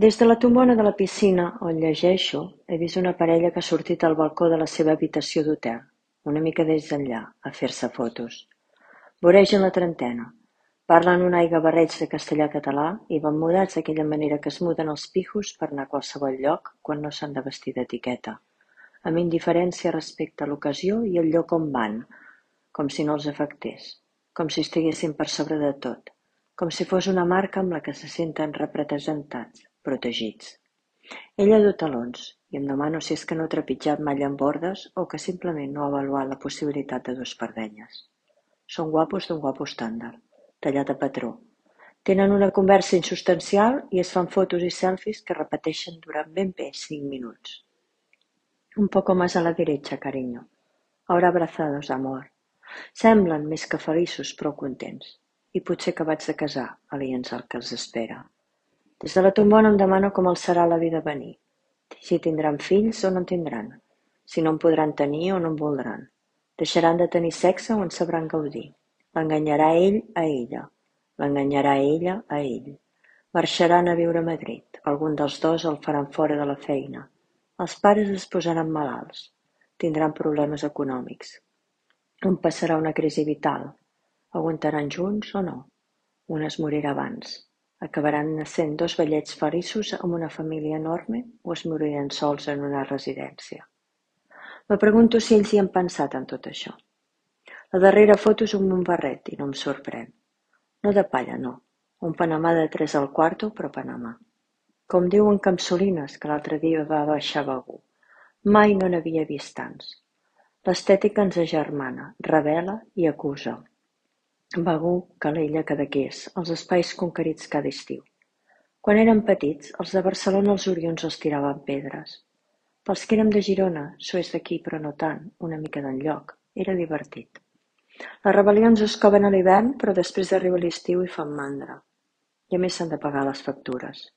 Des de la tombona de la piscina on llegeixo he vist una parella que ha sortit al balcó de la seva habitació d'hotel, una mica des d'enllà, a fer-se fotos. Voregen la trentena. Parlen un aiguabarreig de castellà-català i van mudats d'aquella manera que es muden els pijos per anar a qualsevol lloc quan no s'han de vestir d'etiqueta, amb indiferència respecte a l'ocasió i el lloc on van, com si no els afectés, com si estiguessin per sobre de tot, com si fos una marca amb la que se senten representats, protegits. Ella duu talons, i em demano si és que no ha trepitjat mai en bordes o que simplement no ha avaluat la possibilitat de dur espardenyes. Són guapos d'un guapo estàndard, tallat a patró. Tenen una conversa insubstancial i es fan fotos i selfies que repeteixen durant ben bé 5 minuts. Un poco más a la derecha, cariño. Ahora abrazados, amor. Semblen més que feliços, prou contents. I potser acabats de casar, aliens al que els espera. Des de la tombona em demano com els serà la vida a venir. Si tindran fills o no en tindran. Si no en podran tenir o no en voldran. Deixaran de tenir sexe o en sabran gaudir. L'enganyarà ell a ella. L'enganyarà ella a ell. Marxaran a viure a Madrid. Algun dels dos el faran fora de la feina. Els pares es posaran malalts. Tindran problemes econòmics. On passarà una crisi vital. Aguantaran junts o no? Un es morirà abans. Acabaran nassent dos vellets feliços amb una família enorme o es moriran sols en una residència. Me pregunto si ells hi han pensat en tot això. La darrera foto és un Montbarret i no em sorprèn. No de palla, no. Un Panamà de 3 al quarto, però Panamà. Com diuen Capsolines, que l'altre dia va baixar a Begur. Mai no n'havia vist tants. L'estètica ens agermana, revela i acusa. Begur, Calella, Cadaqués, els espais conquerits cada estiu. Quan érem petits, els de Barcelona els orions els tiraven pedres. Pels que érem de Girona, s'ho és d'aquí però no tant, una mica d'enlloc, era divertit. Les rebel·lions es coven a l'hivern, però després arriba l'estiu i fan mandra. I a més s'han de pagar les factures.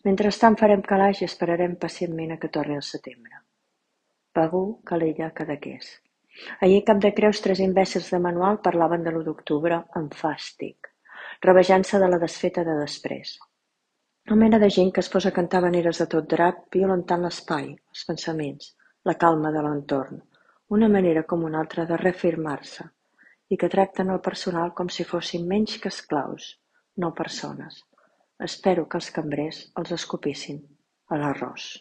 Mentrestant farem calaix i esperarem pacientment a que torni el setembre. Begur, Calella, Cadaqués. Ahir a Cap de Creus 3 imbècils de manual parlaven de l'1 d'octubre amb fàstic, rebejant-se de la desfeta de després. Una mena de gent que es posa a cantar habaneres a tot drap, violentant l'espai, els pensaments, la calma de l'entorn, una manera com una altra de reafirmar-se, i que tracten el personal com si fossin menys que esclaus, no persones. Espero que els cambrers els escopissin a l'arròs.